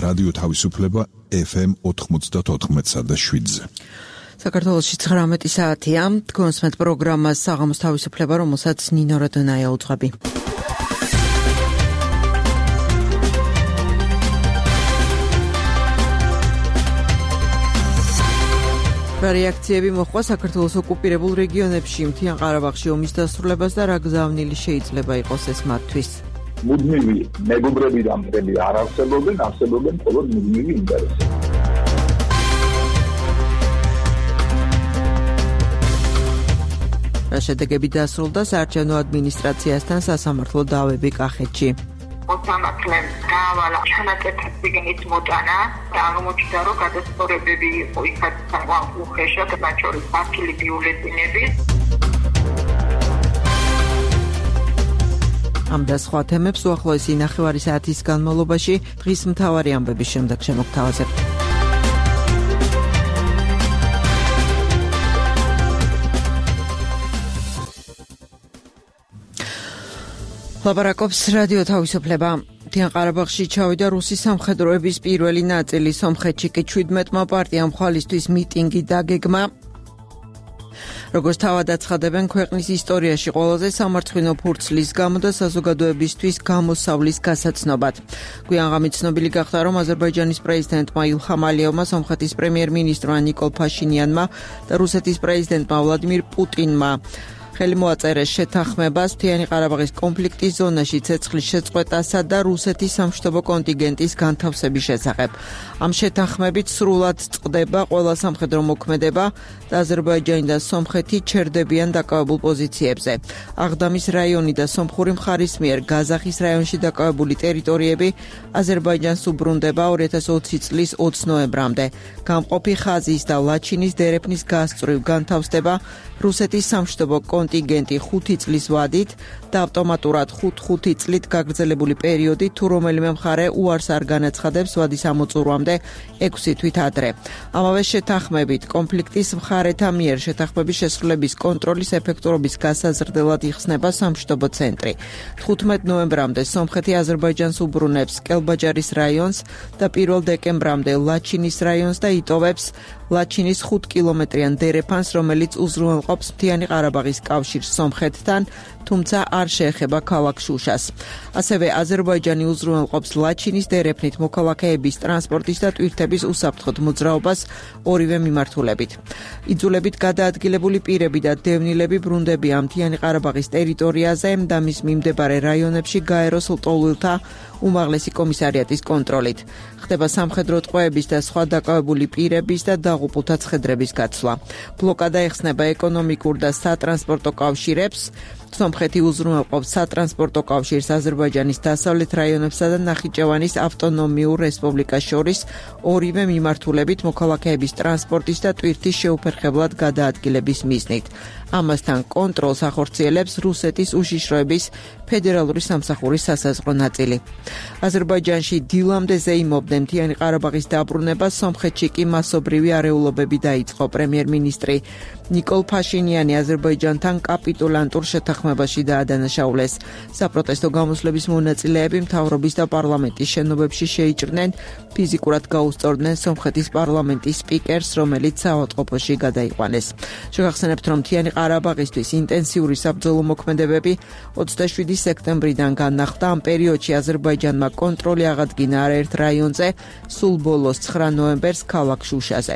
რადიო თავისუფლება FM 94.7-ზე. საქართველოში 19 საათია. თქვენს მეტ პროგრამას საღამოს თავისუფლება, რომელსაც ნინო როდონაია უძღვები. რეაქციები მოხდა საქართველოს ოკუპირებულ რეგიონებში მთიან ყარაბაღში ომის დასრულებას და რა გზავნილი შეიძლება იყოს ეს მათთვის. მუდმივი მეგობრები და მტრები არ არსებობენ მხოლოდ მუდმივი ინტერესები. შედეგები დასრულდა საარჩევნო ადმინისტრაციასთან სასამართლო დავები კახეთში. მოსამართლემ გაავალა ჩანაწერი მოტანა და აღმოჩნდა, რომ გადასწორებები იყო იქაც უხეშად, მათ შორის ფართული ბიულეტენები. ამ და სხვა თემებს უახლოესი 9 საათის განმავლობაში დღის მთავარი ამბების შემდეგ შემოგთავაზებთ. ლაპარაკობს რადიო თავისუფლება. მთიან ყარაბაღში ჩავიდა რუსი სამხედროების პირველი ნაწილი. სომხეთში კი 17-მა პარტიამ ხვალისთვის მიტინგი დაგეგმა. როგორც თავად აცხადებენ, ქვეყნის ისტორიაში ყველაზე სამარცხვინო ფურცლის გამო და საზოგადოებისთვის გამოსავლის გასაცნობად. გვიან ღამით ცნობილი გახდა, რომ აზერბაიჯანის პრეზიდენტმა ილჰამ ალიევმა, სომხეთის პრემიერ-მინისტრმა ნიკოლ ფაშინიანმა და რუსეთის პრეზიდენტმა ვლადიმირ პუტინმა ხელი მოაწერეს შეთანხმებას მთიანი ყარაბაღის კონფლიქტის ზონაში ცეცხლის შეწყვეტასა და რუსეთის სამშვიდობო კონტინგენტის განთავსების შესახებ. ამ შეთანხმებით სრულად წყდება ყველა სამხედრო მოქმედება და აზერბაიჯანი და სომხეთი ჩერდებიან დაკავებულ პოზიციებზე. აღდამის რაიონი და სომხური მხარის მიერ გაზახის რაიონში დაკავებული ტერიტორიები აზერბაიჯანს უბრუნდება 2020 წლის 20 ნოემბრამდე. გამყოფი ხაზის და ლაჩინის დერეფნის გასწვრივ განთავსდება რუსეთის სამშვიდობო კონტინგენტი 5 წლის ვადით და ავტომატურად 5 წლით გაგრძელებული პერიოდი თუ რომელიმე მხარე უარს არ განაცხადებს ვადის ამოწურვამდე 6 თვით ადრე. ამავე შეთანხმებით კონფლიქტის მხარეთა მიერ შეთანხმების შესრულების კონტროლის ეფექტურობის გასაზრდელად იხსნება სამშვიდობო ცენტრი. 15 ნოემბრამდე სომხეთი აზერბაიჯანს უბრუნებს კელბაჯარის რაიონს და 1 დეკემბრამდე ლაჩინის რაიონს და იტოვებს ლაჩინის 5 კილომეტრიან დერეფანს, რომელიც უზრუნველყოფს მთიანი ყარაბაღის კავშირს სომხეთთან, თუმცა არ შეეხება ქალაქ შუშას. ასევე აზერბაიჯანი უზრუნველყოფს ლაჩინის დერეფნით მოქალაქეების ტრანსპორტის და ტვირთების უსაფრთხოდ მოძრაობას ორივე მიმართულებით. იძულებით გადაადგილებული პირები და დევნილები ბრუნდებიან მთიანი ყარაბაღის ტერიტორიაზე და მის მიმდებარე რაიონებში გაეროს ლტოლვილთა უმაღლესი კომისარიატის კონტროლით. ხდება სამხედრო ტყვეების და სხვა დაკავებული პირების და დაღუპულთა ცხედრების გაცვლა. ბლოკადა ეხსნება ეკონომიკურ და სატრანსპორტო კავშირებს. სომხეთი უზრუნველყოფს სატრანსპორტო კავშირს აზერბაიჯანის დასავლეთ რაიონებსა და ნახიჩევანის ავტონომიურ რესპუბლიკას შორის ორივე მიმართულებით მოქალაქეების ტრანსპორტის და ტვირთის შეუფერხებლად გადაადგილების მიზნით. ამასთან კონტროლს ახორციელებს რუსეთის უშიშროების ფედერალური სამსახურის სასაზღვრო ნაწილი. აზერბაიჯანში დილამდე ზეიმობდნენ მთიანი ყარაბაღის დაბრუნება, სომხეთში კი მასობრივი არეულობები დაიწყო. პრემიერ-მინისტრი ნიკოლ ფაშინიანი აზერბაიჯანთან კაპიტულანტურ შეთანხმებაში დაადანაშაულეს. საპროტესტო გამოსვლების მონაწილეები მთავრობის და პარლამენტის შენობებში შეიჭრნენ, ფიზიკურად გაუსწორდნენ სომხეთის პარლამენტის სპიკერს, რომელიც საავადმყოფოში გადაიყვანეს. შეგახსენებთ, რომ მთიანი ყარაბაღისთვის ინტენსიური საბრძოლო მოქმედებები 27 სექტემბრიდან განახლდა. ამ პერიოდში აზერბაიჯანმა კონტროლი აღადგინა არაერთ რაიონზე, სულ ბოლოს 9 ნოემბერს ქალაქ შუშაზე.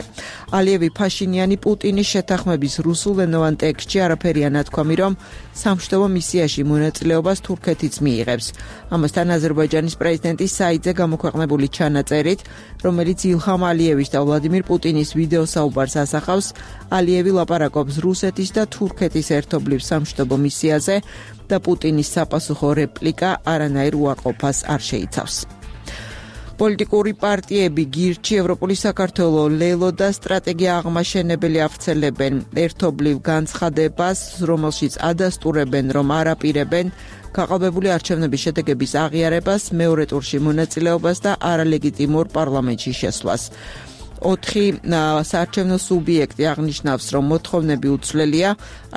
ალიევი, ფაშინიანი, პუტინის შეთანხმების რუსულენოვან ტექსტში არაფერია ნათქვამი, რომ სამშვიდობო მისიაში მონაწილეობას თურქეთიც მიიღებს. ამასთან აზერბაიჯანის პრეზიდენტი საიდზე გამოქვეყნებული ჩანაწერით, რომელიც ილჰამ ალიევის და ვლადიმირ პუტინის ვიდეო საუბარს ასახავს, ალიევი ლაპარაკობს რუსეთის და თურქეთის ერთობლივ სამშვიდობო მისიაზე და პუტინის საპასუხო რეპლიკა არანაირ უარყოფას არ შეიცავს. პოლიტიკური პარტიები გირჩი, ევროპული საქართველო, ლელო და სტრატეგია აღმაშენებელი ავრცელებენ ერთობლივ განცხადებას, რომელშიც ადასტურებენ, რომ არ აპირებენ გაყალბებული არჩევნების შედეგების აღიარებას, მეორე ტურში მონაწილეობას და არალეგიტიმურ პარლამენტში შესვლას. 4 საარჩევნო სუბიექტი აღნიშნავს, რომ მოთხოვნები უცვლელია,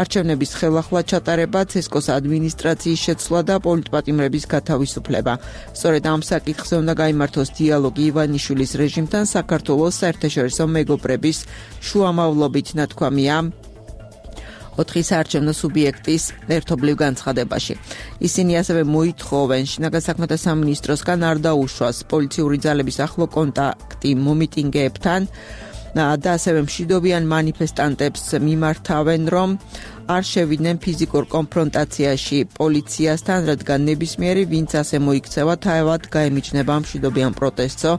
არჩევნების ხელახლა ჩატარება, ცესკოს ადმინისტრაციის შეცვლა და პოლიტპატიმრების გათავისუფლება. სწორედ ამ საკითხზე უნდა გაიმართოს დიალოგი ივანიშვილის რეჟიმთან საქართველოს საერთაშორისო მეგობრების შუამავლობით, ნათქვამია 4 საარჩევნო სუბიექტის ერთობლივ განცხადებაში. ისინი ასევე მოითხოვენ შინაგან საქმეთა სამინისტროსგან არ დაუშვას პოლიციური ძალების ახლო კონტაქტი მომიტინგეებთან და ასევე მშვიდობიან მანიფესტანტებს მიმართავენ, რომ არ შევიდნენ ფიზიკურ კონფრონტაციაში პოლიციასთან, რადგან ნებისმიერი ვინც ასე მოიქცევა, თავად გაემიჯნება მშვიდობიან პროტესტსო,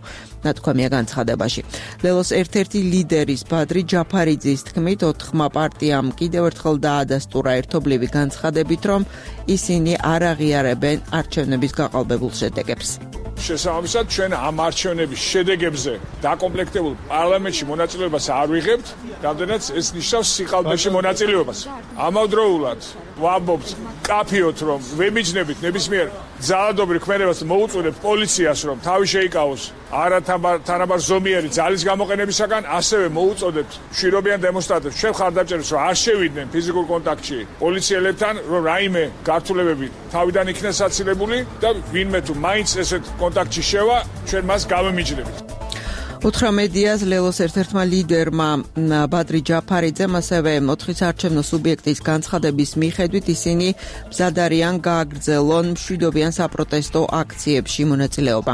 ნათქვამია განცხადებაში. ლელოს ერთ-ერთი ლიდერის ბადრი ჯაფარიძის თქმით, 4 პარტიამ კიდევ ერთხელ დაადასტურა ერთობლივი განცხადებით, რომ ისინი არ აღიარებენ არჩევნების გაყალბებულ შედეგებს. შესაბამისად, ჩვენ ამ არჩევნების შედეგებზე დაკომპლექტებულ პარლამენტში მონაწილეობას არ ვიღებთ, რამდენიც ეს ნიშნავს სიყალბეში მონაწილეობას. ამავდროულად ვამბობთ კაფიოთ, რომ ვემიჯნებით ნებისმიერ ძალადობრივ ქმედებას მოუწოდებთ პოლიციას, რომ თავი შეიკავოს არათანაბარ ზომიერი ძალის გამოყენებისაგან, ასევე მოუწოდებთ მშვიდობიან დემონსტრანტებს, ჩვენ ხარდამჭერებს, რომ არ შევიდნენ ფიზიკურ კონტაქტში პოლიციელებთან, რომ რაიმე გართულებები თავიდან იქნეს აცილებული და ვინმე თუ მაინც ესეთ კონტაქტში შევა, ჩვენ მას გავემიჯნებით. უთხრა მედიას ლელოს ერთ-ერთმა ლიდერმა ბადრი ჯაფარიძემ, ასევე 4 საარჩევნო სუბიექტის განცხადების მიხედვით ისინი მზად არიან გააგრძელონ მშვიდობიან საპროტესტო აქციებში მონაწილეობა.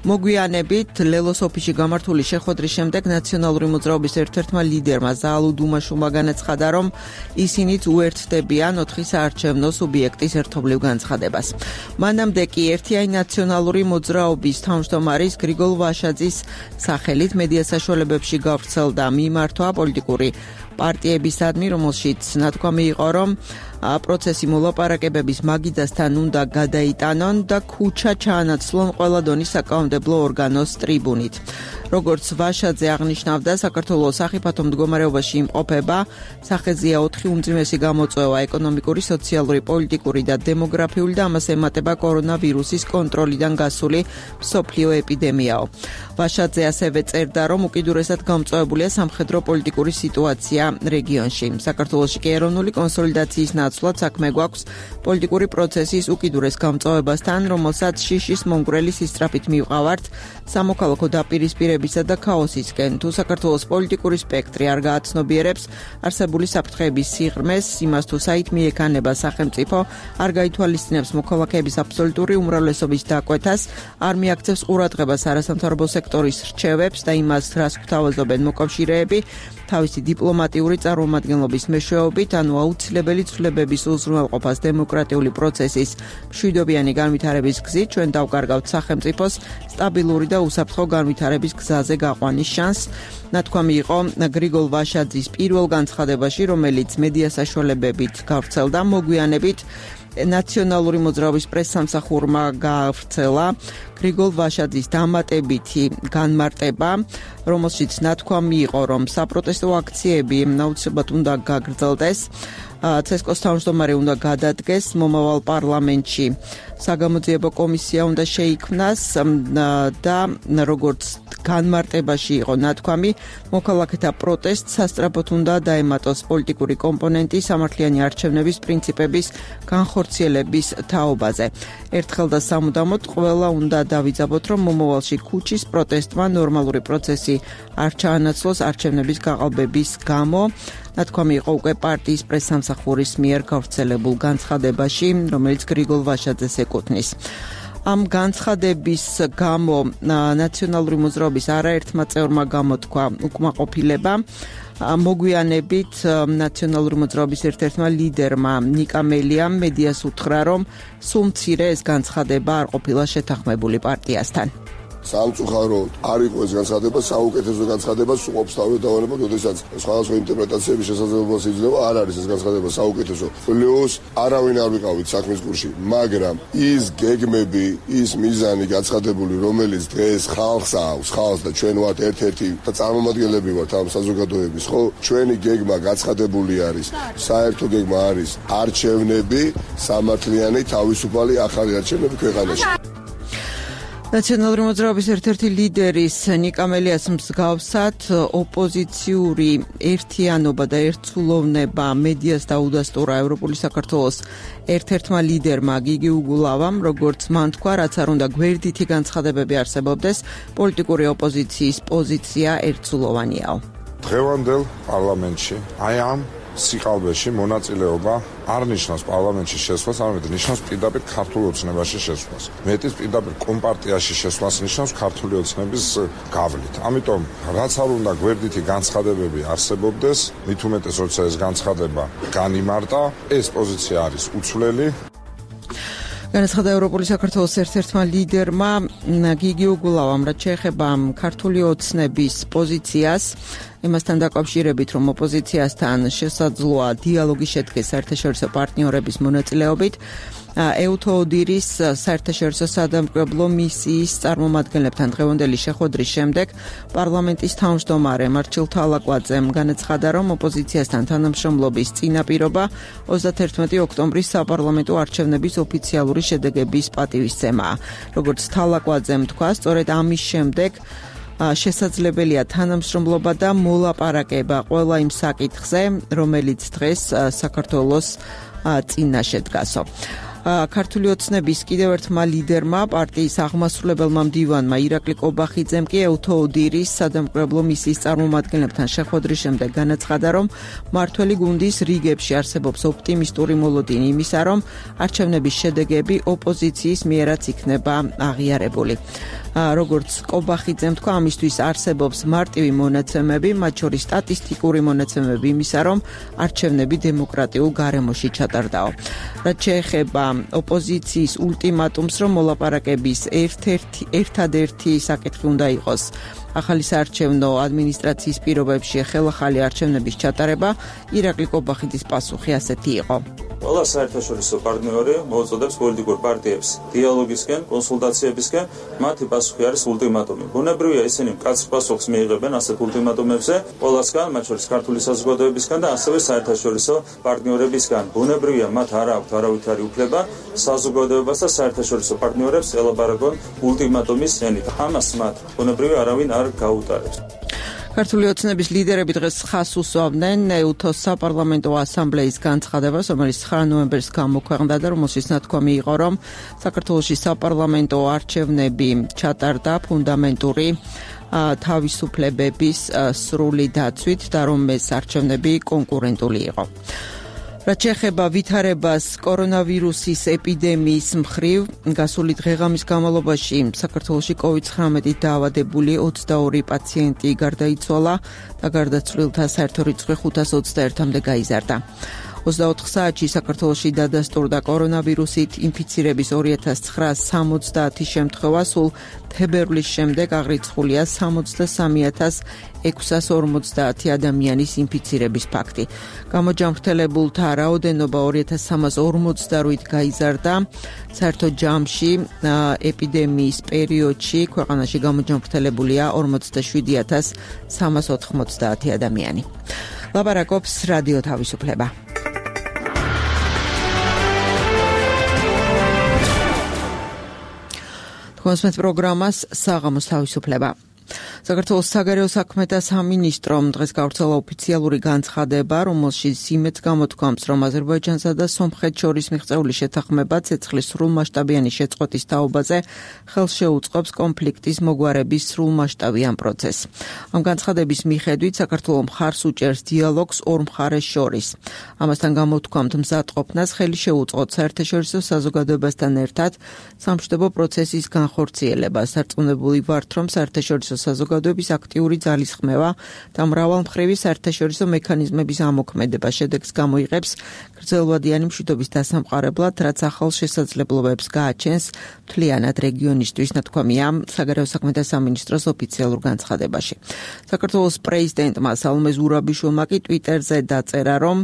მოგვიანებით ლელოს ოფისში გამართული შეხვედრის შემდეგ ნაციონალური მოძრაობის ერთ-ერთმა ლიდერმა ზაალუ დუმაშულმა განაცხადა, რომ ისინიც უერთდებიან 4 საარჩევნო სუბიექტის ერთობლივ განცხადებას. მანამდე კი ერთიანი ნაციონალური მოძრაობის თავმჯდომარის გრიგოლ ვაშაძის სახელით მედია საშუალებებში გავრცელდა მიმართვა პოლიტიკური პარტიებისადმი, რომელშიც ნათქვამი იყო, რომ პროცესი მოლაპარაკებების მაგიდასთან უნდა გადაიტანონ და ქუჩა ჩაანაცვლონ ყველა დონის საკანონმდებლო ორგანოს ტრიბუნით. როგორც ვაშაძე აღნიშნავდა, საქართველოს სახიფათო მდგომარეობაში იმყოფება, სახეზეა 4 უმძიმესი გამოწვევა: ეკონომიკური, სოციალური, პოლიტიკური და დემოგრაფიული და ამას ემატება კორონავირუსის კონტროლიდან გასული მსოფლიო ეპიდემიაო. ვაშაძე ასევე წერდა, რომ უკიდურესად გამწვავებულია სამხედრო პოლიტიკური სიტუაცია რეგიონში. საქართველოში კი ეროვნული კონსოლიდაციის ნაცვლად საქმე გვაქვს პოლიტიკური პროცესის უკიდურეს გამწვავებასთან, რომელსაც შიშის მომგვრელი სისწრაფით მივყავართ სამოქალაქო დაპირისპირებისა და ქაოსისკენ. თუ საქართველოს პოლიტიკური სპექტრი არ გააცნობიერებს არსებული საფრთხეების სიღრმეს, იმას თუ საით მიექანება სახელმწიფო, არ გაითვალისწინებს მოქალაქეების აბსოლუტური უმრავლესობის დაკვეთას, არ მიაქცევს ყურადღებას არასამთავრობო სექტორის რჩევებს და იმას, რას გვთავაზობენ მოკავშირეები, თავისი დიპლომატიური წარმომადგენლობის მეშვეობით, ანუ აუცილებელი ცვლილებების უზრუნველყოფას დემოკრატიული პროცესის მშვიდობიანი განვითარების გზით, ჩვენ დავკარგავთ სახელმწიფოს სტაბილური და უსაფრთხო განვითარების გზაზე გაყვანის შანსს. ნათქვამი იყო გრიგოლ ვაშაძის პირველ განცხადებაში, რომელიც მედია საშუალებებით გავრცელდა. მოგვიანებით ნაციონალური მოძრაობის პრესსამსახურმა გაავრცელა გრიგოლ ვაშაძის დამატებითი განმარტება, რომელშიც ნათქვამი იყო, რომ საპროტესტო აქციები აუცილებლად უნდა გაგრძელდეს. ცესკოს თავმჯდომარე უნდა გადადგეს მომავალ პარლამენტში. საგამოძიებო კომისია უნდა შეიქმნას და როგორც განმარტებაში იყო ნათქვამი, მოქალაქეთა პროტესტს სასწრაფოდ უნდა დაემატოს პოლიტიკური კომპონენტი სამართლიანი არჩევნების პრინციპების განხორციელების თაობაზე. ერთხელ და სამუდამოდ ყველა უნდა დავიძაბოთ, რომ მომავალში ქუჩის პროტესტმა ნორმალური პროცესი არ ჩაანაცვლოს არჩევნების გაყალბების გამო. ნათქვამი იყო უკვე პარტიის პრესსამსახურის მიერ გავრცელებულ განცხადებაში, რომელიც გრიგოლ ვაშაძეს ეკუთვნის. ამ განცხადების გამო ნაციონალური მოძრაობის არაერთმა წევრმა გამოთქვა უკმაყოფილება. მოგვიანებით ნაციონალური მოძრაობის ერთ-ერთმა ლიდერმა ნიკა მელიამ მედიას უთხრა, რომ სულ მცირე ეს განცხადება არ ყოფილა შეთანხმებული პარტიასთან. სამწუხაროდ არ იყო ეს განცხადება, საუკეთესო განცხადებას უყოფს თავი დავალებოთ, როდესაც სხვადასხვა ინტერპრეტაციების შესაძლებლობას იძლევა, არ არის ეს განცხადება საუკეთესო. ლეოს არავინ არ ვიყავით საქმის გულში, მაგრამ ის გეგმები, ის მიზანი გაცხადებული, რომელიც დღეს ხალხს აქვს, ხალხს და ჩვენ ვართ ერთ-ერთი და წარმომადგენლები ვართ ამ საზოგადოების, ხო? ჩვენი გეგმა გაცხადებული არის, საერთო გეგმა არის არჩევნები, სამართლიანი, თავისუფალი ახალი არჩევნები ქვეყანაში. ნაციონალური მოძრაობის ერთ-ერთი ლიდერის ნიკა მელიას მსგავსად ოპოზიციური ერთიანობა და ერთსულოვნება მედიას დაუდასტურა ევროპული საქართველოს ერთ-ერთმა ლიდერმა გიგი უგულავამ, როგორც მან თქვა, რაც არ უნდა გვერდითი განცხადებები არსებობდეს, პოლიტიკური ოპოზიციის პოზიცია ერთსულოვანიაო. დღევანდელ პარლამენტში აი ამ სიყალბეში მონაწილეობა არ ნიშნავს პარლამენტში შესვლას, არამედ ნიშნავს პირდაპირ ქართულ ოცნებაში შესვლას. მეტის პირდაპირ კომპარტიაში შესვლას ნიშნავს ქართული ოცნების გავლით. ამიტომ რაც არ უნდა გვერდითი განცხადებები არსებობდეს, მით უმეტეს როცა ეს განცხადება განიმარტა, ეს პოზიცია არის უცვლელი. განაცხადა ევროპული საქართველოს ერთ-ერთმა ლიდერმა გიგი უგულავამ, რაც შეეხება ქართული ოცნების პოზიციას, იმასთან დაკავშირებით, რომ ოპოზიციასთან შესაძლოა დიალოგი შედგეს საერთაშორისო პარტნიორების მონაწილეობით, ეუთოოდირის საერთაშორისო სადამკვირვებლო მისიის წარმომადგენლებთან დღევანდელი შეხვედრის შემდეგ პარლამენტის თავმჯდომარე მარჩილ თალაკვაძემ განაცხადა, რომ ოპოზიციასთან თანამშრომლობის წინაპირობა 31 ოქტომბრის საპარლამენტო არჩევნების ოფიციალური შედეგების პატივისცემაა. როგორც თალაკვაძემ თქვა, სწორედ ამის შემდეგ შესაძლებელია თანამშრომლობა და მოლაპარაკება ყველა იმ საკითხზე, რომელიც დღეს საქართველოს წინაშე დგასო. ქართული ოცნების კიდევ ერთმა ლიდერმა, პარტიის აღმასრულებელმა მდივანმა ირაკლი კობახიძემ კი ეუთოოდირის სადამკვირვებლო მისიის წარმომადგენლებთან შეხვედრის შემდეგ განაცხადა, რომ მმართველი გუნდის რიგებში არსებობს ოპტიმისტური მოლოდინი იმისა, რომ არჩევნების შედეგები ოპოზიციის მიერაც იქნება აღიარებული. როგორც კობახიძემ თქვა, ამისთვის არსებობს მარტივი მონაცემები, მათ შორის სტატისტიკური მონაცემები იმისა, რომ არჩევნები დემოკრატიულ გარემოში ჩატარდაო. რაც შეეხება ოპოზიციის ულტიმატუმს, რომ მოლაპარაკების ერთადერთი საკითხი უნდა იყოს ახალი საარჩევნო ადმინისტრაციის პირობებში ხელახალი არჩევნების ჩატარება, ირაკლი კობახიძის პასუხი ასეთი იყო. ყველა საერთაშორისო პარტნიორი მოუწოდებს პოლიტიკურ პარტიებს დიალოგისკენ, კონსულტაციებისკენ, მათი პასუხი არის ულტიმატუმი. ბუნებრივია ისინი მკაცრ პასუხს მიიღებენ ასეთ ულტიმატუმებზე, ყველასგან, მათ შორის ქართული საზოგადოებისგან და ასევე საერთაშორისო პარტნიორებისგან. ბუნებრივია, მათ არ აქვთ არავითარი უფლება საზოგადოებას და საერთაშორისო პარტნიორებს ელაპარაკონ ულტიმატუმის ენით. ამას მათ ბუნებრივია არავინ არ გაუტარებს. ქართული ოცნების ლიდერები დღეს ხას უსვამდნენ ეუთოს საპარლამენტო ასამბლეის განცხადებას, რომელიც 9 ნოემბერს გამოქვეყნდა და რომელშიც ნათქვამი იყო, რომ საქართველოში საპარლამენტო არჩევნები ჩატარდა ფუნდამენტური თავისუფლებების სრული დაცვით და რომ ეს არჩევნები კონკურენტული იყო. რაც შეეხება ვითარებას კორონავირუსის ეპიდემიის მხრივ, გასული დღე-ღამის განმავლობაში საქართველოში COVID-19 დაავადებული 22 პაციენტი გარდაიცვალა და გარდაცვლილთა საერთო რიცხვი 521-მდე გაიზარდა. 24 საათში საქართველოში დადასტურდა კორონავირუსით ინფიცირების 2970 შემთხვევა, სულ თებერვლის შემდეგ აღრიცხულია 63,650 ადამიანის ინფიცირების ფაქტი. გამოჯანმრთელებულთა რაოდენობა 2348 გაიზარდა. საერთო ჯამში ეპიდემიის პერიოდში ქვეყანაში გამოჯანმრთელებულია 47390 ადამიანი. ლაპარაკობს რადიო თავისუფლება. კონსმეთ პროგრამას საღამოს თავისუფლება. საქართველოს საგარეო საქმეთა სამინისტრომ დღეს გავრცელა ოფიციალური განცხადება, რომელშიც იმედს გამოთქვამს, რომ აზერბაიჯანსა და სომხეთს შორის მიღწეული შეთანხმება ცეცხლის სრულმასშტაბიანი შეწყვეტის თაობაზე ხელს შეუწყობს კონფლიქტის მოგვარების სრულმასშტაბიან პროცესს. ამ განცხადების მიხედვით საქართველო მხარს უჭერს დიალოგს ორ მხარეს შორის. ამასთან გამოთქვამთ მზადყოფნას ხელი შეუწყოთ საერთაშორისო საზოგადოებასთან ერთად სამშვიდობო პროცესის განხორციელებას. სარწმუნოებული ვართ, რომ საერთაშორისო საზოგადოების აქტიური ძალისხმევა და მრავალმხრივი საერთაშორისო მექანიზმების ამოქმედება შედეგს გამოიღებს გრძელვადიანი მშვიდობის დასამყარებლად, რაც ახალ შესაძლებლობებს გააჩენს მთლიანად რეგიონისთვის, ნათქვამია საგარეო საქმეთა სამინისტროს ოფიციალურ განცხადებაში. საქართველოს პრეზიდენტმა სალომე ზურაბიშვილმა კი ტვიტერზე დაწერა, რომ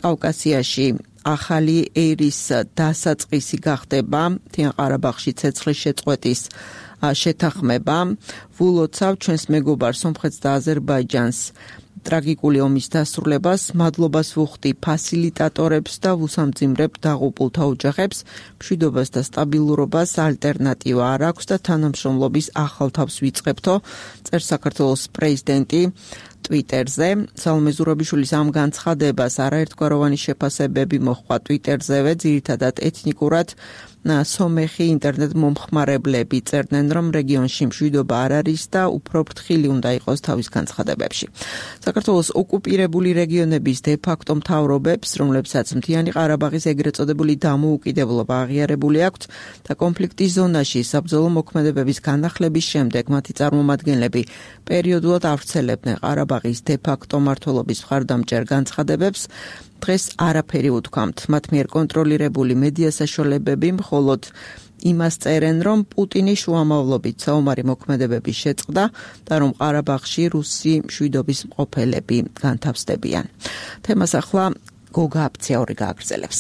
კავკასიაში ახალი ერის დასაწყისი გახდება მთიან ყარაბაღში ცეცხლის შეწყვეტის შეთანხმება. ვულოცავ ჩვენს მეგობარ სომხეთს და აზერბაიჯანს ტრაგიკული ომის დასრულებას მადლობას ვუხდი ფასილიტატორებს და ვუსამძიმრებ დაღუპულთა ოჯახებს, მშვიდობას და სტაბილურობას ალტერნატივა არ აქვს და თანამშრომლობის ახალ თავს ვიწყებთო, წერს საქართველოს პრეზიდენტი Twitterზე. სალომე ზურაბიშვილის ამ განცხადებას არაერთგვაროვანი შეფასებები მოჰყვა Twitterzევე, ძირითადად ეთნიკურად სომეხი ინტერნეტ მომხმარებლები წერდნენ, რომ რეგიონში მშვიდობა არ არის და უფრო ფრთხილი უნდა იყოს თავის განცხადებებში. საქართველოს ოკუპირებული რეგიონების დე-ფაქტო მთავრობებს, რომლებსაც მთიანი ყარაბაღის ეგრეთ წოდებული დამოუკიდებლობა აღიარებული აქვთ და კონფლიქტის ზონაში საბრძოლო მოქმედებების განახლების შემდეგ მათი წარმომადგენლები პერიოდულად ავრცელებდნენ ყარაბაღის დე-ფაქტო მმართველობის მხარდამჭერ განცხადებებს, დღეს არაფერი უთქვამთ. მათ მიერ კონტროლირებული მედია საშუალებები მხოლოდ იმას წერენ, რომ პუტინის შუამავლობით საომარი მოქმედებების შეწყდა და რომ ყარაბაღში რუსი მშვიდობის მყოფელები განთავსდებიან. თემას ახლა გოგა აფციაური გააგრძელებს.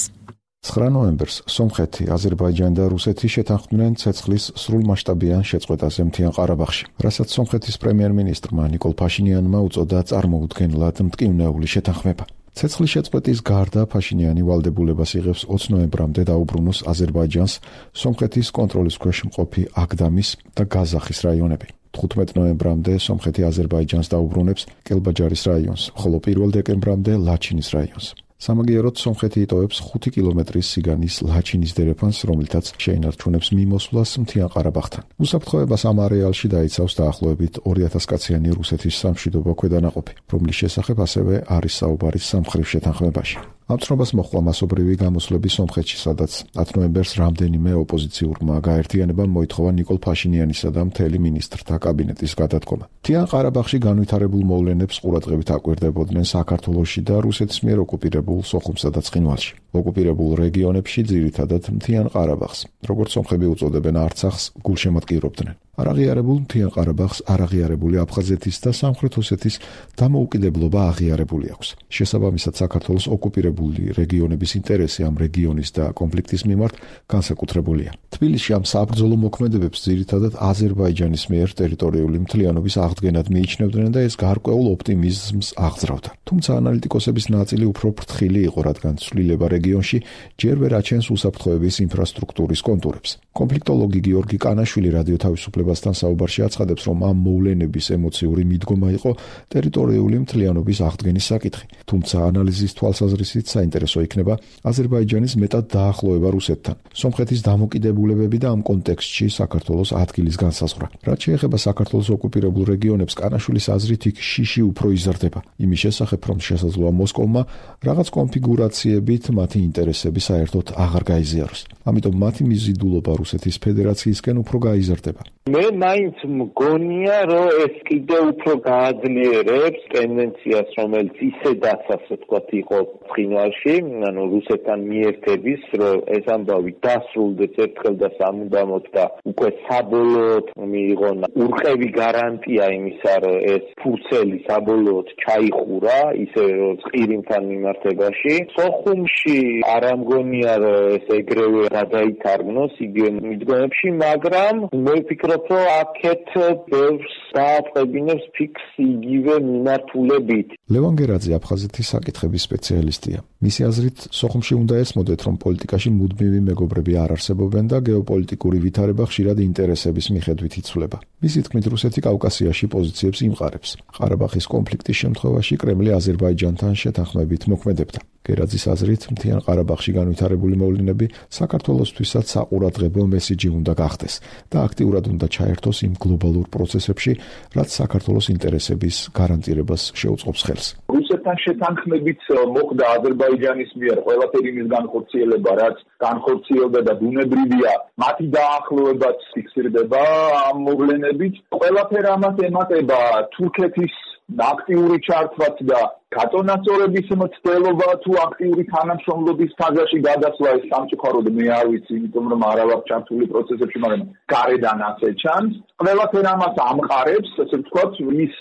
9 ნოემბერს სომხეთი, აზერბაიჯანი და რუსეთი შეთანხმდნენ ცეცხლის სრულმასშტაბიან შეწყვეტაზე მთიან ყარაბაღში, რასაც სომხეთის პრემიერ-მინისტრმა ნიკოლ ფაშინიანმა უწოდა წარმოუდგენლად მტკივნეული შეთანხმება. ცეცხლის შეწყვეტის გარდა ფაშინიანი ვალდებულებას იღებს 20 ნოემბრამდე დაუბრუნოს აზერბაიჯანს სომხეთის კონტროლის ქვეშ მყოფი აგდამის და გაზახის რაიონები. 15 ნოემბრამდე სომხეთი აზერბაიჯანს დაუბრუნებს კელბაჯარის რაიონს, ხოლო 1 დეკემბრამდე ლაჩინის რაიონს. სამაგიეროდ სომხეთი იტოვებს 5 კილომეტრის სიგანის ლაჩინის დერეფანს, რომლითაც შეინარჩუნებს მიმოსვლას მთიან ყარაბაღთან. უსაფრთხოებას ამ არეალში დაიცავს დაახლოებით 2000 კაციანი რუსეთის სამშვიდობო ქვედანაყოფი, რომლის შესახებ ასევე არის საუბარი სამხრივ შეთანხმებაში. ამ ცნობას მოჰყვა მასობრივი გამოსვლები სომხეთში, სადაც 10 ნოემბერს რამდენიმე ოპოზიციურმა გაერთიანებამ მოითხოვა ნიკოლ ფაშინიანისა და მთელი მინისტრთა კაბინეტის გადადგომა. მთიან ყარაბაღში განვითარებულ მოვლენებს ყურადღებით აკვირდებოდნენ საქართველოში და რუსეთის მიერ ოკუპირებულ სოხუმსა და ცხინვალში. ოკუპირებულ რეგიონებში ძირითადად მთიან ყარაბაღს, როგორც სომხები უწოდებენ არცახს, გულშემატკივრობდნენ. არაღიარებულ მთიან ყარაბაღს არაღიარებული აფხაზეთის და სამხრეთ ოსეთის დამოუკიდებლობა აღიარებული აქვს. შესაბამისად, საქართველოს ოკუპირებული რეგიონების ინტერესი ამ რეგიონის და კონფლიქტის მიმართ განსაკუთრებულია. თბილისში ამ საბრძოლო მოქმედებებს ძირითადად აზერბაიჯანის მიერ ტერიტორიული მთლიანობის აღდგენად მიიჩნევდნენ და ეს გარკვეულ ოპტიმიზმს აღძრავდა. თუმცა ანალიტიკოსების ნაწილი უფრო ფრთხილი იყო, რადგან ცვლილება რეგიონში ჯერ ვერ აჩენს უსაფრთხოების ინფრასტრუქტურის კონტურებს. კონფლიქტოლოგი გიორგი კანაშვილი რადიო თავისუფლებასთან საუბარში აცხადებს, რომ ამ მოვლენების ემოციური მიდგომა იყო ტერიტორიული მთლიანობის აღდგენის საკითხი. თუმცა ანალიზის თვალსაზრისით საინტერესო იქნება აზერბაიჯანის მეტად დაახლოება რუსეთთან, სომხეთის დამოკიდებულებები და ამ კონტექსტში საქართველოს ადგილის განსაზღვრა. რაც შეეხება საქართველოს ოკუპირებულ რეგიონებს, კანაშვილის აზრით იქ შიში უფრო იზრდება. იმის შესახებ, რომ შესაძლოა მოსკოვმა რაღაც კონფიგურაციებით მათი ინტერესები საერთოდ აღარ გაიზიაროს. ამიტომ მათი მიზიდულობა რუსეთის ფედერაციისკენ უფრო გაიზარდება. მე მაინც მგონია, რომ ეს კიდევ უფრო გააძლიერებს ტენდენციას, რომელიც ისედაც ასე ვთქვათ იყო ცხინვალში, ანუ რუსეთთან მიერთების, რომ ეს ამბავი დასრულდეს ერთხელ და სამუდამოდ და უკვე საბოლოოდ მიიღონ ურყევი გარანტია იმისა, რომ ეს ფურცელი საბოლოოდ ჩაიხურა, ისე რომ ყირიმთან მიმართებაში. სოხუმში არ ამგონია, რომ ეს ეგრევე გადაითარგმნოს იგივე მიდგომებში, მაგრამ მე ვფიქრობ, რომ აქეთ ბევრს დააწყებინებს ფიქს იგივე მიმართულებით. ლევან გერაძე აფხაზეთის საკითხების სპეციალისტია. მისი აზრით, სოხუმში უნდა ესმოდეთ, რომ პოლიტიკაში მუდმივი მეგობრები არ არსებობენ და გეოპოლიტიკური ვითარება ხშირად ინტერესების მიხედვით იცვლება. მისი თქმით, რუსეთი კავკასიაში პოზიციებს იმყარებს. ყარაბაღის კონფლიქტის შემთხვევაში კრემლი აზერბაიჯანთან შეთანხმებით მოქმედებდა. გერაძის აზრით, მთიან ყარაბაღში განვითარებული მოვლენები საქართველოსთვისაც საყურადღებო მესიჯი უნდა გახდეს და აქტიურად უნდა ჩაერთოს იმ გლობალურ პროცესებში, რაც საქართველოს ინტერესების გარანტირებას შეუწყობს ხელს. რუსეთთან შეთანხმებით მოხდა აზერბაიჯანის მიერ ყველაფერი იმის განხორციელება, რაც განხორციელდა და ბუნებრივია, მათი დაახლოებაც ფიქსირდება ამ მოვლენებით. ყველაფერი ამას ემატება თურქეთის აქტიური ჩართვაც და გაწონასწორების მცდელობა თუ აქტიური თანამშრომლობის ფაზაში გადასვლა ეს სამწუხაროდ მე არ ვიცი, იმიტომ რომ არ ვარ ჩართული პროცესებში, მაგრამ გარედან ასე ჩანს. ყველაფერ ამას ამყარებს, ასე ვთქვათ, ის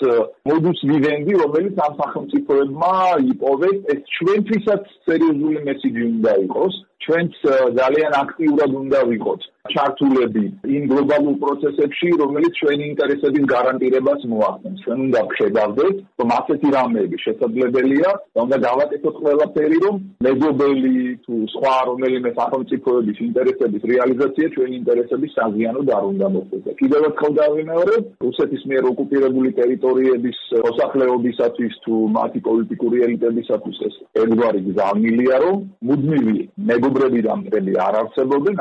მოდუს ვივენდი, რომელიც ამ სახელმწიფოებმა იპოვეს, ეს ჩვენთვისაც სერიოზული მესიჯი უნდა იყოს, ჩვენც ძალიან აქტიურად უნდა ვიყოთ. ჩართულები იმ გლობალურ პროცესებში, რომელიც ჩვენი ინტერესების გარანტირებას მოახდენს. ჩვენ უნდა ვხედავდეთ, რომ ასეთი რამეები შესაძლებელია და უნდა გავაკეთოთ ყველაფერი, რომ მეზობელი თუ სხვა რომელიმე სახელმწიფოების ინტერესების რეალიზაცია ჩვენი ინტერესების საზიანოდ არ უნდა მოხდეს. კიდევ ერთხელ დავიმეორებ, რუსეთის მიერ ოკუპირებული ტერიტორიების მოსახლეობისათვის თუ მათი პოლიტიკური ელიტებისათვის ეს ერთგვარი გზავნილია, რომ მუდმივი მეგობრები და მტრები არ არსებობენ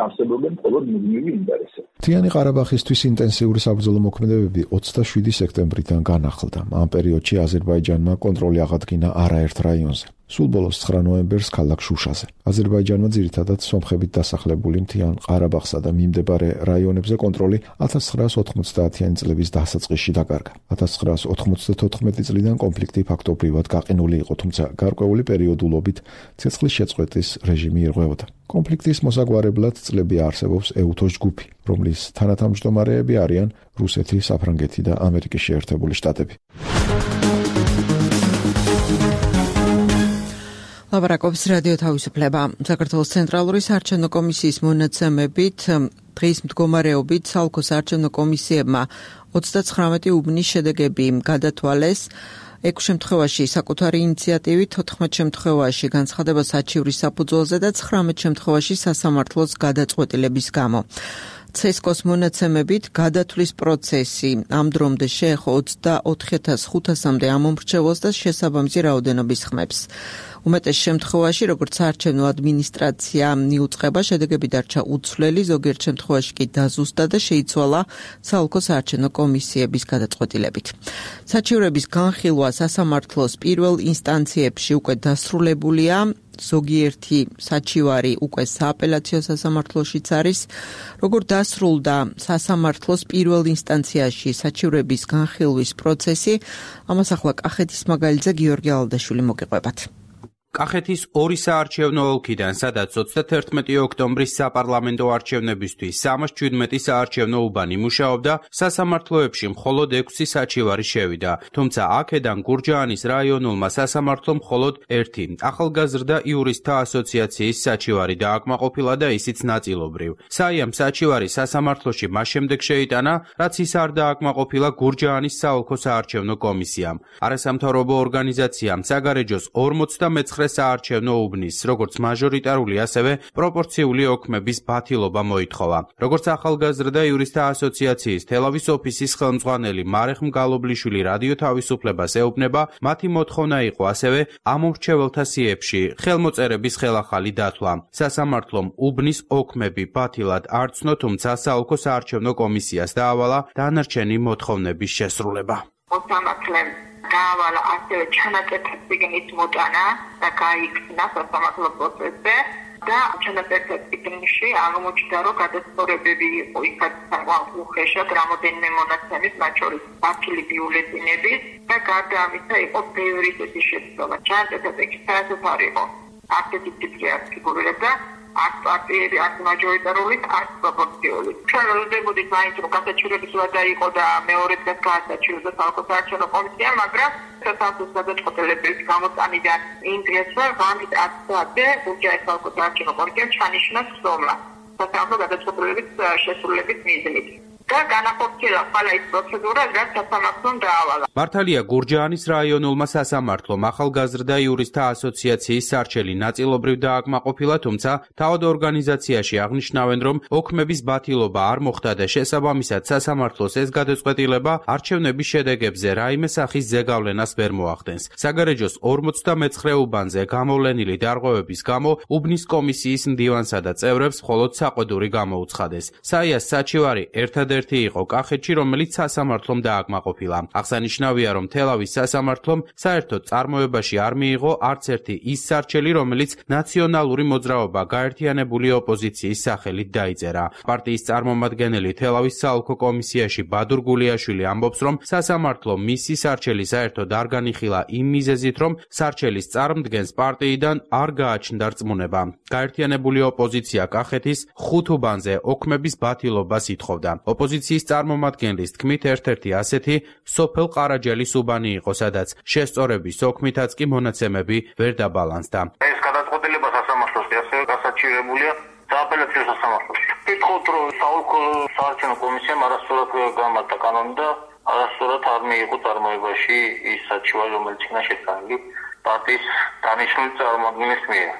მხოლოდ მუდმივი ინტერესები. მთიანი ყარაბაღისთვის ინტენსიური საბრძოლო მოქმედებები 27 სექტემბრიდან განახლდა. ამ პერიოდში აზერბაიჯანმა კონტროლი აღადგინა არაერთ რაიონზე. სულ ბოლოს 9 ნოემბერს ქალაქ შუშაზე. აზერბაიჯანმა ძირითადად სომხებით დასახლებული მთიან ყარაბაღსა და მიმდებარე რაიონებზე კონტროლი 1990-იანი წლების დასაწყისში დაკარგა. 1994 წლიდან კონფლიქტი ფაქტობრივად გაყინული იყო, თუმცა გარკვეული პერიოდულობით ცეცხლის შეწყვეტის რეჟიმი ირღვეოდა. კონფლიქტის მოსაგვარებლად წლები არსებობს ეუთოს ჯგუფი, რომლის თანათავმჯდომარეები არიან რუსეთი, საფრანგეთი და ამერიკის შეერთებული შტატები. ლაპარაკობს რადიო თავისუფლება. საქართველოს ცენტრალური საარჩევნო კომისიის მონაცემებით დღის მდგომარეობით საოლქო საარჩევნო კომისიებმა 39 უბნის შედეგები გადათვალეს. 6 შემთხვევაში საკუთარი ინიციატივით, 14 შემთხვევაში განცხადება საჩივრის საფუძველზე და 19 შემთხვევაში სასამართლოს გადაწყვეტილების გამო. CESCO-ს მონაცემებით გადათვლის პროცესი ამ დრომდე შეეხო 24,500-მდე ამომრჩეველს და შესაბამისი რაოდენობის ხმებს. უმეტეს შემთხვევაში, როგორც საარჩევნო ადმინისტრაცია მიუწყება, შედეგები დარჩა უცვლელი, ზოგიერთ შემთხვევაში კი დაზუსტა და შეიცვალა საოლქო საარჩევნო კომისიების გადაწყვეტილებით. საჩივრების განხილვა სასამართლოს პირველ ინსტანციებში უკვე დასრულებულია. ზოგიერთი საჩივარი უკვე სააპელაციო სასამართლოშიც არის. როგორ დასრულდა სასამართლოს პირველ ინსტანციაში საჩივრების განხილვის პროცესი, ამას ახლა კახეთის მაგალითზე გიორგი ალდაშვილი მოგიყვებათ. კახეთის 2 საარჩევნო ოლქიდან, სადაც 31 ოქტომბრის საპარლამენტო არჩევნებისთვის 317 საარჩევნო უბანი მუშაობდა, სასამართლოებში მხოლოდ 6 საჩივარი შევიდა. თუმცა აქედან გურჯაანის რაიონულმა სასამართლომ მხოლოდ 1 ახალგაზრდა იურისტთა ასოციაციის საჩივარი დააკმაყოფილა და ისიც ნაწილობრივ. საიამ საჩივარი სასამართლოში მას შემდეგ შეიტანა, რაც ის არ დააკმაყოფილა გურჯაანის საოლქო საარჩევნო კომისიამ. არასამთავრობო ორგანიზაციამ საგარეჯოს 49 საარჩევნო უბნის, როგორც მაჟორიტარული, ასევე პროპორციული ოქმების ბათილობა მოითხოვა. როგორც ახალგაზრდა იურისტთა ასოციაციის თელავის ოფისის ხელმძღვანელი მარეხ მგალობლიშვილი რადიო თავისუფლებას ეუბნება, მათი მოთხოვნა იყო ასევე ამომრჩეველთა სიებში ხელმოწერების ხელახალი დათვლა. სასამართლომ უბნის ოქმები ბათილად არ ცნო, თუმცა საოლქო საარჩევნო კომისიას დაავალა დანარჩენი მოთხოვნების შესრულება. გაავალა ასევე ჩანაწერთა წიგნის მოტანა და გაიქცნა სასამართლო პროცესზე და ჩანაწერთა წიგნში აღმოჩნდა, რომ გადასწორებები იყო უხეშად რამოდენიმე მონაცემის, მათ შორის ბაქილი ბიულეტინების და გარდა ამისა იყო ბევრი წესის შეცდომა. ჩანაწერთა წიგნში საერთოდ არ იყო ასეთი ტიპი ფიგურირებდა არც პარტიები, არც მაჟორიტარული, არც პროპორციული. ჩვენ ველოდებოდით მაინც, რომ გადაჭირების ვადა იყო და მეორე დღეს გადაჭირდა საოლქო საარჩევნო კომისია, მაგრამ სასამართლოს გადაწყვეტილების გამოტანიდან იმ დღესვე ღამით 10 საათზე გურჯაანის საოლქო საარჩევნო კომისიამ ჩანიშნა ხსოვნა სასამართლო გადაწყვეტილების შესრულების მიზნით. და განახორციელა ყველა ის პროცედურა, რაც სასამართლომ დაავალა. მართალია გურჯაანის რაიონულმა სასამართლომ ახალგაზრდა იურისტთა ასოციაციის სარჩელი ნაწილობრივ დააკმაყოფილა, თუმცა თავად ორგანიზაციაში აღნიშნავენ, რომ ოქმების ბათილობა არ მოხდა და შესაბამისად სასამართლოს ეს გადაწყვეტილება არჩევნების შედეგებზე რაიმე სახის ზეგავლენას ვერ მოახდენს. საგარეჯოს 59 უბანზე გამოვლენილი დარღვევების გამო უბნის კომისიის მდივანსა და წევრებს მხოლოდ საყვედური გამოუცხადეს. საიას საჩივარი ერთადერთი იყო კახეთში, რომელიც სასამართლომ დააკმაყოფილა. აღსანიშნავია, რომ თელავის სასამართლომ საერთოდ წარმოებაში არ მიიღო არც ერთი ის სარჩელი, რომელიც ნაციონალური მოძრაობა გაერთიანებული ოპოზიციის სახელით დაიწერა. პარტიის წარმომადგენელი თელავის საოლქო კომისიაში ბადურ გულიაშვილი ამბობს, რომ სასამართლომ მისი სარჩელი საერთოდ არ განიხილა იმ მიზეზით, რომ სარჩელის წარმდგენს პარტიიდან არ გააჩნდა რწმუნება. გაერთიანებული ოპოზიცია კახეთის 5 უბანზე ოქმების ბათილობას ითხოვდა. ოპოზიციის წარმომადგენლის თქმით, ერთ-ერთი ასეთი სოფელ ყარაჯელის უბანი იყო, სადაც შესწორების ოქმითაც კი მონაცემები ვერ დაბალანსდა. ეს გადაწყვეტილება სასამართლოს ასევე გასაჩივრებულია სააპელაციო სასამართლოში. ვიტყოდ, რომ საოლქო საარჩევნო კომისიამ არასწორად გამართა კანონი და არასწორად არ მიიღო წარმოებაში ის საჩივარი, რომელიც იქნა შეტანილი პარტიის დანიშნული წარმომადგენლის მიერ.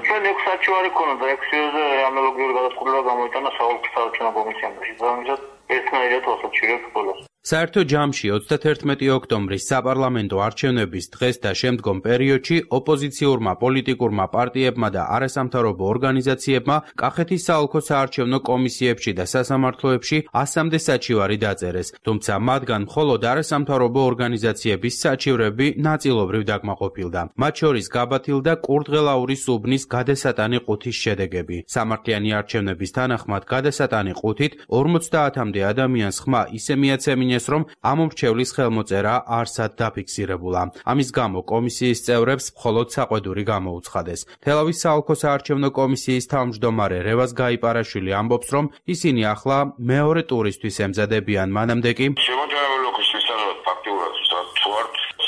ჩვენ 6 საჩივარი ქონოდა, 6-ზე ანალოგიური გადაწყვეტილება გამოიტანა საოლქო საარჩევნო კომისიამ და შესაბამისად ერთნაირად ვასაჩივრებთ բոլოს. საერთო ჯამში 31 ოქტომბრის საპარლამენტო არჩევნების დღეს და შემდგომ პერიოდში ოპოზიციურმა პოლიტიკურმა პარტიებმა და არასამთავრობო ორგანიზაციებმა კახეთის საოლქო საარჩევნო კომისიებში და სასამართლოებში 100-მდე საჩივარი დაწერეს, თუმცა მათგან მხოლოდ არასამთავრობო ორგანიზაციების საჩივრები ნაწილობრივ დაკმაყოფილდა. მათ შორის გაბათილდა კურდღელაურის უბნის გადასატანი ყუთის შედეგები. სამართლიანი არჩევნების თანახმად გადასატანი ყუთით 50-მდე ადამიანს ხმა ისე მიაცემინეს, რომ ამომრჩევლის ხელმოწერა არსად დაფიქსირებულა. ამის გამო კომისიის წევრებს მხოლოდ საყვედური გამოუცხადეს. თელავის საოლქო საარჩევნო კომისიის თავმჯდომარე რევაზ გაიპარაშვილი ამბობს, რომ ისინი ახლა მეორე ტურისთვის ემზადებიან, მანამდე კი შემოჯერებული ოქის შესაძლებლად ფაქტიურად თუ არ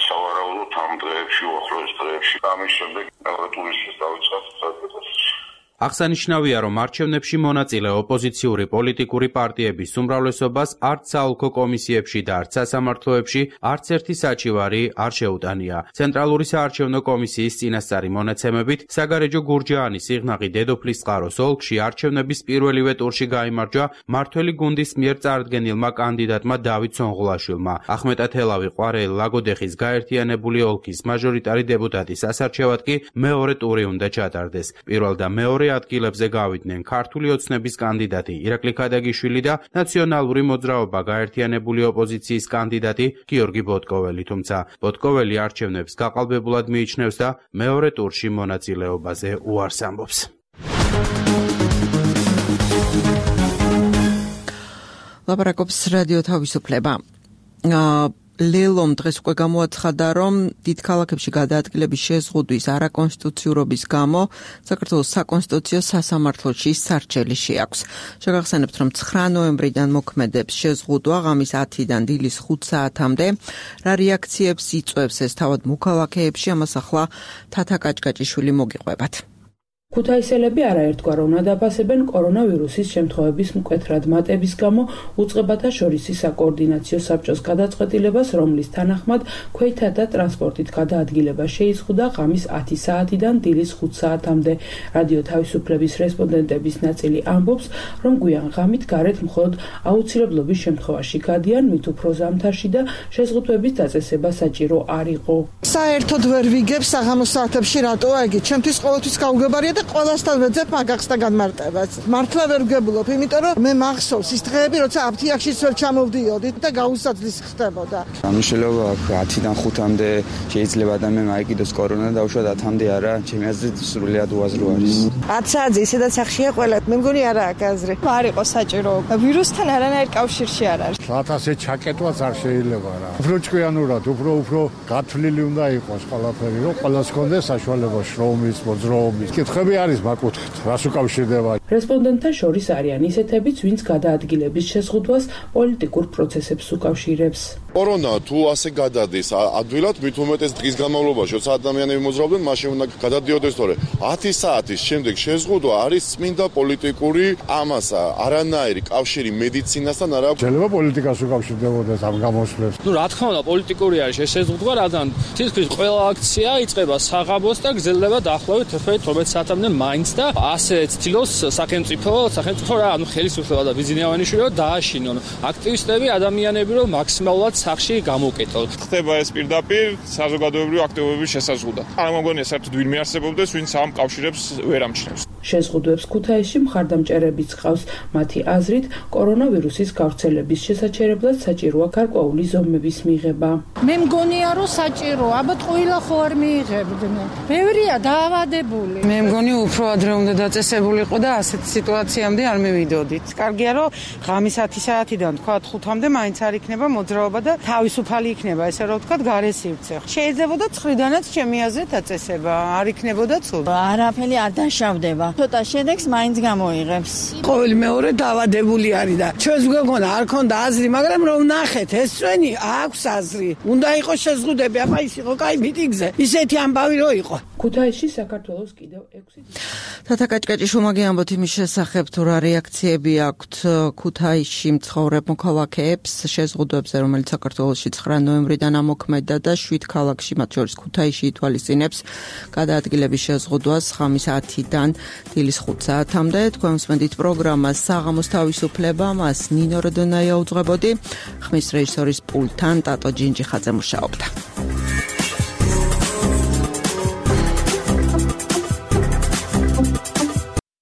სავარაუდოდ ამ დღეებში, უახლოეს დღეებში, ამის შემდეგ მეორე ტურისთვის დავიწყოთ საქმეს. აღსანიშნავია, რომ არჩევნებში მონაწილე ოპოზიციური პოლიტიკური პარტიების უმრავლესობას არც საოლქო კომისიებში და არც სასამართლოებში არც ერთი საჩივარი არ შეუტანია. ცენტრალური საარჩევნო კომისიის წინასწარი მონაცემებით, საგარეჯო გურჯაანის სიღნაღი დედოფლისწყაროს ოლქში არჩევნების პირველივე ტურში გაიმარჯვა მმართველი გუნდის მიერ წარდგენილმა კანდიდატმა დავით სონღულაშვილმა. ახმეტა თელავი ყვარელი ლაგოდეხის გაერთიანებული ოლქის მაჟორიტარი დეპუტატის ასარჩევად კი მეორე ტური უნდა ჩატარდეს. პირველ და მეორე ადგილებზე გავიდნენ ქართული ოცნების კანდიდატი ირაკლი ქადაგიშვილი და ნაციონალური მოძრაობა გაერთიანებული ოპოზიციის კანდიდატი გიორგი ბოტკოველი, თუმცა ბოტკოველი არჩევნებს გაყალბებულად მიიჩნევს და მეორე ტურში მონაწილეობაზე უარს ამბობს. ლაპარაკობს რადიო თავისუფლება. ლელომ დღეს უკვე გამოაცხადა, რომ დიდ ქალაქებში გადაადგილების შეზღუდვის არაკონსტიტუციურობის გამო საქართველოს საკონსტიტუციო სასამართლოში სარჩელი შეაქვს. შეგახსენებთ, რომ 9 ნოემბრიდან მოქმედებს შეზღუდვა ღამის 10-დან დილის 5 საათამდე. რა რეაქციებს იწვევს ეს თავად მოქალაქეებში, ამას ახლა თათა კაჭკაჭიშვილი მოგიყვებათ. ქუთაისელები არაერთგვაროვნად დაფასებენ კორონავირუსის შემთხვევების მკვეთრად მატების გამო უწყებათა შორისი საკოორდინაციო საბჭოს გადაწყვეტილებას, რომლის თანახმად ქვეითთა და ტრანსპორტით გადაადგილება შეიზღუდა ღამის 10 საათიდან დილის 5 საათამდე. რადიო თავისუფლების რესპონდენტების ნაწილი ამბობს, რომ გვიან ღამით გარეთ მხოლოდ აუცილებლობის შემთხვევაში გადიან, მით უფრო ზამთარში და შეზღუდვების დაწესება საჭირო არ იყო. საერთოდ ვერ ვიგებ საღამოს საათებში რატოა იგი? ჩემთვის ყოველთვის გაუგებარია და ყველასთან ვეძებ მაგახს და განმარტებას. მართლა ვერ ვგებულობ, იმიტომ რომ მე მახსოვს ის დღეები, როცა აფთიაქშიც ვერ ჩამოვდიოდით და გაუსაძლის ხდებოდა. ამიშელობა 10-დან 5-მდე შეიძლება ადამიანმა აიკიდოს კორონა და უშუალოდ 10-მდე არა, ჩემი აზრით სრულიად უაზრო არის. 10 საათზე ისედაც სახშია ყველა. მე მგონი არა აქ აზრი. არ იყო საჭირო. ვირუსთან არანაირ კავშირში არ არის. რატასე ჩაკეტვაც არ შეიძლება რა. უფრო ჭკვიანურად, უფრო გათვლილი უნდა იყოს ყველაფერი, რომ ყველას კონდეს საშუალება შრომის, მოძრაობის. კითხები არის მაკუთხით, რას უკავშირდება. რესპონდენტთა შორის არიან ისეთებიც, ვინც გადაადგილების შეზღუდვას პოლიტიკურ პროცესებს უკავშირებს. კორონა თუ ასე გადადის ადვილად, მით უმეტეს დღის განმავლობაში, როცა ადამიანები მოძრაობდნენ, მაშინ უნდა გადადიოდეს, თორე 10 საათის შემდეგ შეზღუდვა არის წმინდა პოლიტიკური ამასა, არანაირი კავშირი მედიცინასთან არ აქვს. შეიძლება პოლიტიკას უკავშირდებოდეს ამ გამოსვლებს. რა თქმა უნდა, პოლიტიკური არის ეს შეზღუდვა, რადგან თითქმის ყველა აქცია იწყება საღამოს და გრძელდება დაახლოებით 11-12 საათამდე მაინც და ასე ცდილობს სახელმწიფო რა, ხელისუფლება და ბიზნესმენები დააშინონ აქტივისტები, ადამიანები, რომ მაქსიმალურად სახში გამოკეტონ. ხდება ეს პირდაპირ საზოგადოებრივი აქტივობების შესაზღუდა. არ მოგონია საერთოდ ვინმე არსებობდეს, ვინც ამ კავშირებს ვერ ამჩნევს. შეზღუდვებს ქუთაისში მხარდამჭერებიც ყავს. მათი აზრით, კორონავირუსის გავრცელების შესაჩერებლად საჭიროა გარკვეული ზომების მიღება. მე მგონია, რომ საჭიროა, ალბათ ყველა ხო არ მიიღებდნენ. ბევრია დაავადებული. მე მგონი უფრო ადრე უნდა დაწესებულიყო და ასეთ სიტუაციამდე არ მივიდოდით. კარგია, რომ ღამის 10 საათიდან თქვა 5-მდე მაინც არ იქნება მოძრაობა და თავისუფალი იქნება, ესე რომ ვთქვათ, გარესივცე. შეიძლებოდა 9-დანაც ჩემი აზრით დაწესება, არ იქნებოდა ცუდ. არაფერი არ დაშავდება. ცოტა შედეგს მაინც გამოიღებს. ყოველი მეორე დავადებული არის და ჩვენს გვეგონა არ ქონდა აზრი, მაგრამ რომ ნახეთ, ეს ჩვენი აქვს აზრი. უნდა იყოს შეზღუდები, აბა ის იყო კაი მიტინგზე. ისეთი ამბავი რო იყო. ქუთაისში საქართველოს კიდევ 6 თათა კაჭკაჭი შუმაგი ამბობთ იმის შესახებ, თუ რა რეაქციები აქვთ ქუთაისში მცხოვრებ მოქალაქეებს შეზღუდვებზე, რომელიც საქართველოში 9 ნოემბრიდან ამოქმედა და 7 ქალაქში, მათ შორის ქუთაისში ითვალისწინებს გადაადგილების შეზღუდვას ხამის 10-დან დილის 5 საათამდე. თქვენ უსმენთ პროგრამას საღამოს თავისუფლება, მას ნინო როდონაია უძღვებოდი, ხმის რეჟისორის პულტთან ტატო ჯინჯიხაძე მუშაობდა.